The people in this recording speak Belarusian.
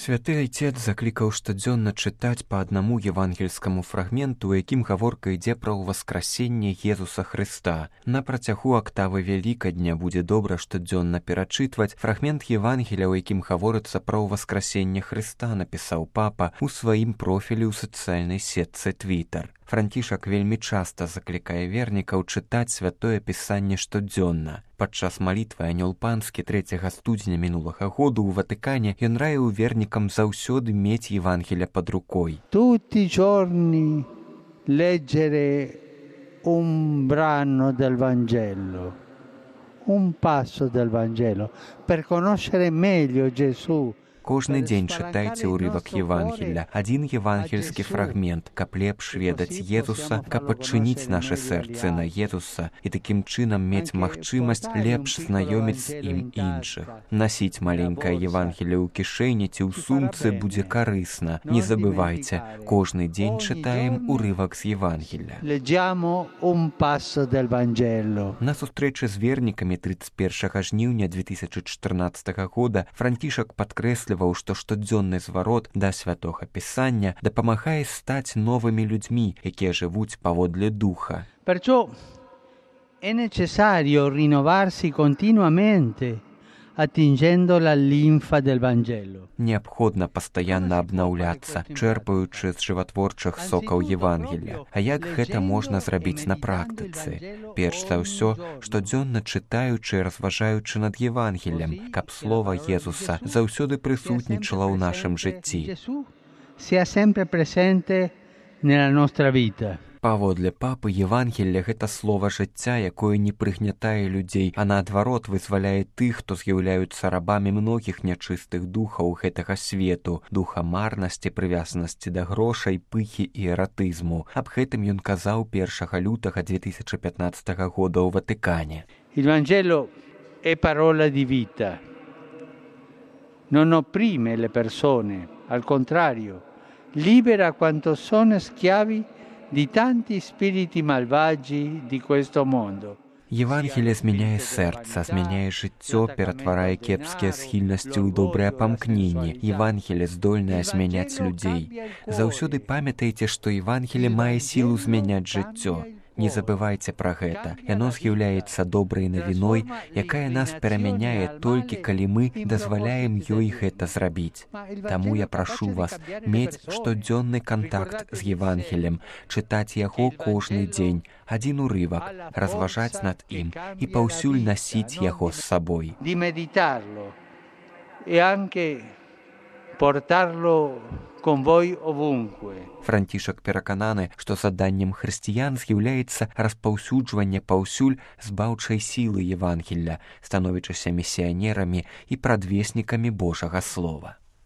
Святы Айцец заклікаў штодзённа чытаць па аднаму евангельскаму фрагменту, у якім гаворка ідзе пра ўваскрасенне Езуса Хрыста. На працягу актавы Вялікадня будзе добра штодзённа перачытваць фрагмент Евангеля, у якім гаворыцца пра ўваскрасенне Хрыста, напісаў папа ў сваім профілі ў сацыяльнай сетцы Твітар. Францішак вельмі часта заклікае вернікаў чытаць святое пісанне штодзённа. Падчас малітвы Анёл Панскі 3 студзеня мінулага году ў Ватыкане ён раіў вернікам заўсёды мець Євангеля пад рукой. Tutti i giorni leggere un brano del Vangelo, un passo del Vangelo, per conoscere meglio Gesù. Кожны дзень чытайце ўрывак Євангеля, адзін євангельскі фрагмент, каб лепш ведаць Езуса, каб адчыніць нашы сэрцы на Езуса і такім чынам мець магчымасць лепш знаёміць з ім іншых. Насіць маленькае Євангеле ў кішэні ці ў сумцы будзе карысна. Не забывайце, кожны дзень чытаем урывак з Євангеля. На сустрэчы з вернікамі 31 жніўня 2014 года Францішак падкрэсліваў, што штодзённы зварот да святога пісання дапамагае стаць новымі людзьмі, якія жывуць паводле духа. Perciò è necessario rinnovarsi continuamente attingendo la linfa del Vangelo. Неабходна пастаянна абнаўляцца, чэрпаючы з жыватворчых сокаў Євангеля. А як гэта можна зрабіць на практыцы? Перш за ўсё, штодзённа чытаючы і разважаючы над Євангелем, каб слова Езуса заўсёды прысутнічала ў нашым жыцці. Sia sempre presente nella nostra vita. Паводле папы, Євангелле – гэта слова жыцця, якое не прыгнятае людзей, а наадварот вызваляе тых, хто з'яўляюцца рабамі многіх нячыстых духаў гэтага свету, духа марнасці, прывязанасці да грошай, пыхі і эратызму. Аб гэтым ён казаў 1 лютага 2015 года ў Ватыкане. Il Vangelo è parola di vita. Non opprime le persone, al contrario, libera quanto sono schiavi di tanti spiriti malvagi di questo mondo. Євангеліе змяняе сэрца, змяняе жыццё, ператварае кепскія схільнасці ў добрыя памкненні. Євангеліе здольнае змяняць людзей. Заўсёды памятайце, што Євангеліе мае сілу змяняць жыццё. Не забывайце пра гэта. Яно з'яўляецца добрай навіной, якая нас перамяняе толькі калі мы дазваляем ёй гэта зрабіць. Таму я прашу вас мець штодзённы кантакт з Євангелем, чытаць яго кожны дзень, адзін урывак, разважаць над ім і паўсюль насіць яго з сабой. Di meditarlo e anche portarlo con voi ovunque. Францішак перакананы, што заданнем хрысціян з'яўляецца распаўсюджванне паўсюль збаўчай сілы Євангелля, становячыся місіянерамі і прадвеснікамі Божага слова.